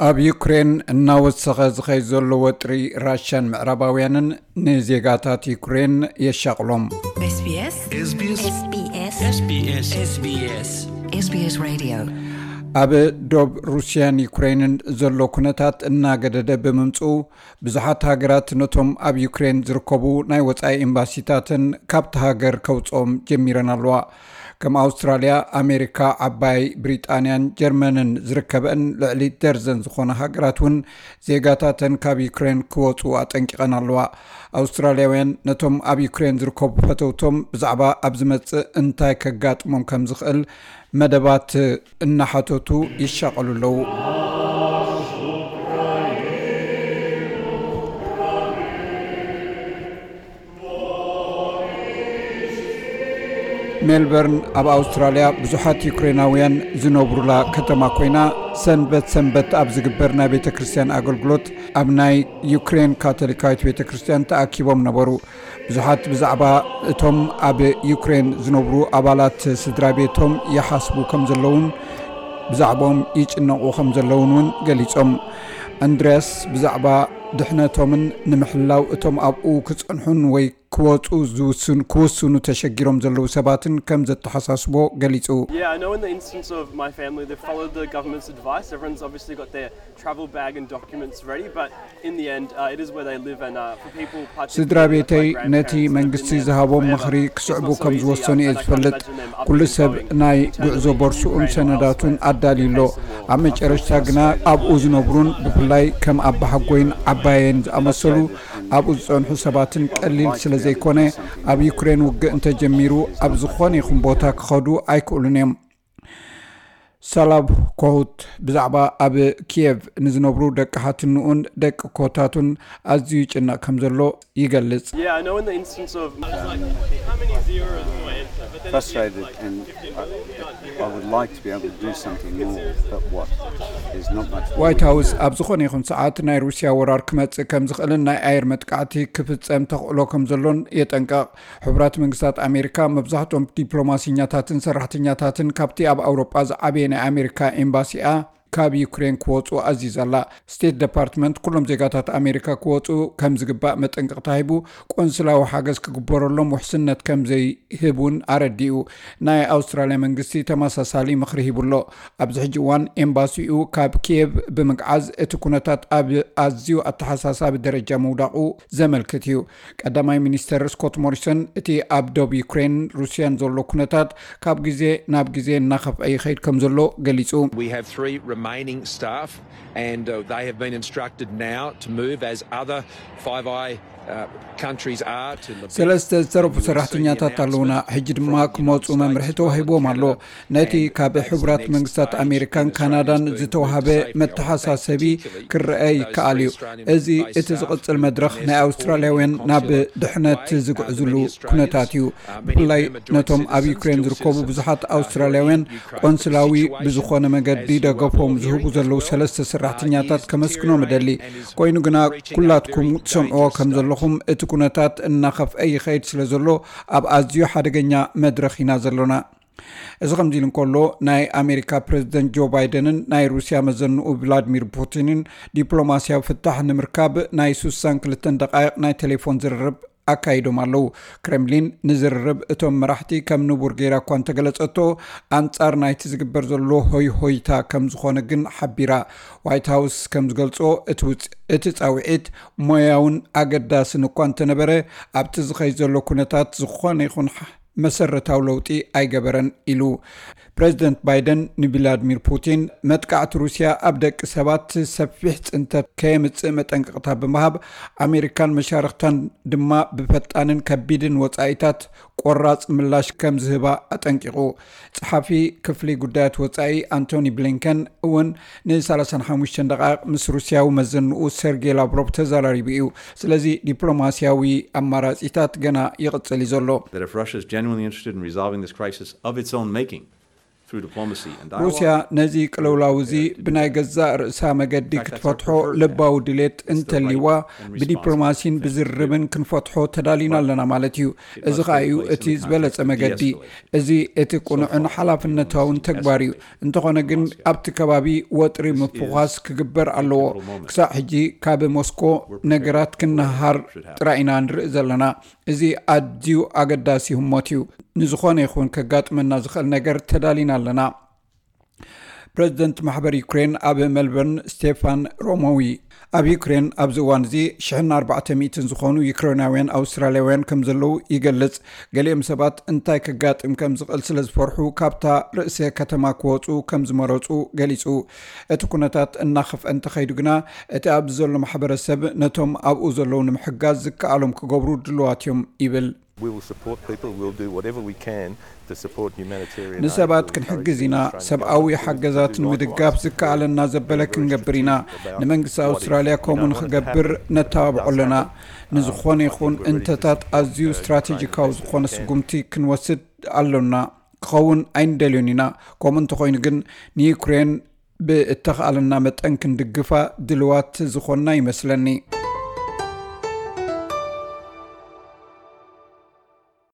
ኣብ ዩክሬን እናወሰኸ ዝኸይ ዘሎ ወጥሪ ራሽያን ምዕራባውያንን ንዜጋታት ዩክሬን የሻቕሎም። SBS SBS SBS SBS SBS Radio። ኣብ ዶብ ሩስያን ዩክሬንን ዘሎ ኩነታት እናገደደ ብምምፅኡ፣ ብዙሓት ሃገራት ነቶም ኣብ ዩክሬን ዝርከቡ ናይ ወጻኢ ኤምባሲታትን ካብቲ ሃገር ከውፅኦም ጀሚረን ኣለዋ። ከም ኣውስትራልያ፣ ኣሜሪካ፣ ዓባይ ብሪጣንያን ጀርመንን ዝርከበን ልዕሊ ደርዘን ዝኾነ ሃገራት እውን ዜጋታተን ካብ ዩክሬን ክወፁ ኣጠንቂቐን ኣለዋ። ኣውስትራልያውያን ነቶም ኣብ ዩክሬን ዝርከቡ ፈተውቶም ብዛዕባ ኣብ ዝመፅእ እንታይ ከጋጥሞም ከም ዝኽእል መደባት እናሓተቱ ይሻቐሉ ኣለዉ። ሜልበርን ኣብ ኣውስትራልያ ብዙሓት ዩክሬናውያን ዝነብሩላ ከተማ ኮይና፣ ሰንበት ሰንበት ኣብ ዝግበር ናይ ቤተ ክርስቲያን ኣገልግሎት ኣብ ናይ ዩክሬን ካቶሊካዊት ቤተ ክርስቲያን ተኣኪቦም ነበሩ። ብዙሓት ብዛዕባ እቶም ኣብ ዩክሬን ዝነብሩ ኣባላት ስድራ ቤቶም ይሓስቡ ከም ዘለውን ብዛዕባኦም ይጭነቑ ከም ዘለውን እውን ገሊጾም። ኣንድርያስ ብዛዕባ ድሕነቶምን ንምሕላው እቶም ኣብኡ ክጸንሑን ወይ ክወጹ ዝውስን-፣ ክውስኑ ተሸጊሮም ዘለዉ ሰባትን ከም ዘተሓሳስቦ ገሊጹ። Yeah, I know in the instance of my family, they've followed the government's advice. Everyone's obviously got their travel bag and documents ready, but in the end, uh, it is where they live, and, uh, for people, particularly, like, my grandparents that have been there forever, it's not so easy, um, and I can't imagine them up to going back. ኩሉ ሰብ ናይ ጉዕዞ ቦርሱኡን ሰነዳቱን ኣዳልዩ ኣሎ። ኣብ መጨረሽታ ግና ኣብኡ ዝነብሩን ብፍላይ ከም ኣባሓጎይን ዓባየን ዝኣመሰሉ ኣብኡ ዝጸንሑ ሰባትን ቀሊል ስለ ዘይኮነ፣ ኣብ ዩክሬን ውግእ እንተጀሚሩ ኣብ ዝኾነ ይኹን ቦታ ክኸዱ ኣይክእሉን እዮም። ሳላብ ኮሁት ብዛዕባ ኣብ ኪየቭ ንዝነብሩ ደቂ ሓትንኡን ደቂ ኮታቱን ኣዝዩ ይጭነቕ ከም ዘሎ ይገልጽ። Yeah, I know in the instance of frustrated, and I, I would like to be able to do something more, but what? There's not much more we can do. ዋይት ሃውስ ኣብ ዝኾነ ይኹን ሰዓት ናይ ሩስያ ወራር ክመጽእ ከም ዝኽእልን ናይ ኣየር መጥቃዕቲ ክፍጸም ተኽእሎ ከም ዘሎን የጠንቀቕ። ሕቡራት መንግስታት ኣሜሪካ መብዛሕትኦም ዲፕሎማሲኛታትን ሰራሕተኛታትን ካብቲ ኣብ ኣውሮጳ ዝዓበየ ናይ ኣሜሪካ ኤምባሲኣ ካብ ዩክሬን ክወጹ ኣዚዛ ኣላ። ስቴት ደፓርትመንት ኩሎም ዜጋታት ኣሜሪካ ክወጹ ከም ዝግባእ መጠንቀቕታ ሂቡ፣ ቆንስላዊ ሓገዝ ክግበረሎም ውሕስነት ከም ዘይህብ እውን ኣረዲኡ። ናይ ኣውስትራልያ መንግስቲ ተመሳሳሊ ምኽሪ ሂቡ ኣሎ። ኣብዚ ሕጂ እዋን ኤምባሲኡ ካብ ኪየቭ ብምግዓዝ እቲ ኩነታት ኣብ ኣዝዩ ኣተሓሳሳቢ ደረጃ ምውዳቑ ዘመልክት እዩ። ቀዳማይ ሚኒስተር ስኮት ሞሪሰን እቲ ኣብ ዶብ ዩክሬን ሩስያን ዘሎ ኩነታት ካብ ግዜ ናብ ግዜ እናኸፍአ ይኸይድ ከም ዘሎ ገሊጹ። We have three remaining staff, and, uh, they have been instructed now to move as other Five Eye, uh, countries are to Lebed. ሰለስተ ዝተረፉ ሰራሕተኛታት ኣለውና። ሕጂ ድማ ክመፁ መምርሒ ተዋሂቦም ኣሎ። ነቲ ካብ ሕቡራት መንግስታት ኣሜሪካን ካናዳን ዝተዋሃበ መተሓሳሰቢ ክረአ ይከኣል እዩ። እዚ እቲ ዝቕጽል መድረኽ ናይ ኣውስትራልያውያን ናብ ድሕነት ዝግዕዝሉ ኩነታት እዩ። ብፍላይ ነቶም ኣብ ዩክሬን ዝርከቡ ብዙሓት ኣውስትራልያውያን ቆንስላዊ ብዝኾነ መገዲ ደገፎም ዝህቡ ዘለዉ ሰለስተ ሰራሕተኛታት ከመስግኖም እደሊ። ኮይኑ ግና ኩላትኩም ትሰምዕዎ ከም ዘለኹም እቲ ኩነታት እናኸፍአ ይኸይድ ስለ ዘሎ ኣብ ኣዝዩ ሓደገኛ መድረኽ ኢና ዘሎና። እዚ ከምዚ ኢሉ እንከሎ፣ ናይ ኣሜሪካ ፕረዚደንት ጆ ባይደንን ናይ ሩስያ መዘንኡ ቭላድሚር ፑቲንን ዲፕሎማስያዊ ፍታሕ ንምርካብ ናይ ስሳን ክልተን ደቃይቕ ናይ ቴሌፎን ዝርርብ ኣካይዶም ኣለዉ። ክሬምሊን ንዝርርብ እቶም መራሕቲ ከም ንቡር ገይራ እኳ እንተገለጸቶ፣ ኣንጻር ናይቲ ዝግበር ዘሎ ሆይ ሆይታ ከም ዝኾነ ግን ሓቢራ። ዋይት ሃውስ ከም ዝገልጾ፣ እቲ ውጽ-፣ እቲ ጻውዒት ሞያውን ኣገዳስን እኳ እንተነበረ፣ ኣብቲ ዝኸይድ ዘሎ ኩነታት ዝኾነ ይኹን መሰረታዊ ለውጢ ኣይገበረን ኢሉ። ፕረዚደንት ባይደን ንቪላድሚር ፑቲን መጥቃዕቲ ሩስያ ኣብ ደቂ ሰባት ሰፊሕ ጽንተት ከየምጽእ መጠንቀቕታ ብምሃብ፣ ኣሜሪካን መሻርኽታን ድማ ብፈጣንን ከቢድን ወጻኢታት ቆራጽ ምላሽ ከም ዝህባ ኣጠንቂቑ። ጸሓፊ ክፍሊ ጉዳያት ወጻኢ ኣንቶኒ ብሊንከን እውን ንሰላሳን ሓሙሽተን ደቓይቕ ምስ ሩስያዊ መዘንኡ ሰርጌ ላቭሮቭ ተዘራሪቡ እዩ። ስለዚ ዲፕሎማስያዊ ኣማራጺታት ገና ይቕጽል እዩ ዘሎ። That if Russia is genuinely interested in resolving this crisis of its own making, ሩስያ ነዚ ቅልውላው እዚ ብናይ ገዛእ ርእሳ መገዲ ክትፈትሖ ልባዊ ድሌት እንተልይዋ፣ ብዲፕሎማሲን ብዝርርብን ክንፈትሖ ተዳሊና ኣለና ማለት እዩ። እዚ ኸኣ እዩ እቲ ዝበለጸ መገዲ። እዚ እቲ ቅኑዕን ሓላፍነታውን ተግባር እዩ። እንተኾነ ግን ኣብቲ ከባቢ ወጥሪ ምፍዃስ ክግበር ኣለዎ። ክሳዕ ሕጂ ካብ ሞስኮ ነገራት ክንሃር ጥራይ ኢና ንርኢ ዘለና። እዚ ኣዝዩ ኣገዳሲ ህሞት እዩ። ንዝኾነ ይኹን ከጋጥመና ዝኽእል ነገር ተዳሊና ኣለና። ፕረዚደንት ማሕበር ዩክሬን ኣብ ሜልበርን ስቴፋን ሮሞዊ ኣብ ዩክሬን ኣብዚ እዋን እዚ ሽሕን ኣርባዕተ ሚእትን ዝኾኑ ዩክሬናውያን ኣውስትራልያውያን ከም ዘለዉ ይገልጽ። ገሊኦም ሰባት እንታይ ከጋጥም ከም ዝኽእል ስለ ዝፈርሑ ካብታ ርእሰ ከተማ ክወጹ ከም ዝመረጹ ገሊጹ። እቲ ኩነታት እናኸፍአ እንተኸይዱ ግና እቲ ኣብዚ ዘሎ ማሕበረሰብ ነቶም ኣብኡ ዘለዉ ንምሕጋዝ ዝከኣሎም ክገብሩ ድልዋት እዮም ይብል። We will support people, we'll do whatever we can to support humanitarian aid. ንሰባት ክንሕግዝ ኢና። ሰብኣዊ ሓገዛት ንምድጋፍ ዝከኣለና ዘበለ ክንገብር ኢና። ንመንግስቲ ኣውስትራልያ ከምኡ ንኽገብር ነተባብዖ ኣለና። ንዝኾነ ይኹን እንተታት ኣዝዩ ስትራቴጂካዊ ዝኾነ ስጉምቲ ክንወስድ ኣሎና። ክኸውን ኣይንደልዮን ኢና። ከምኡ እንተኾይኑ ግን ንዩክሬን ብእተኻእለና መጠን ክንድግፋ ድልዋት ዝኾንና ይመስለኒ።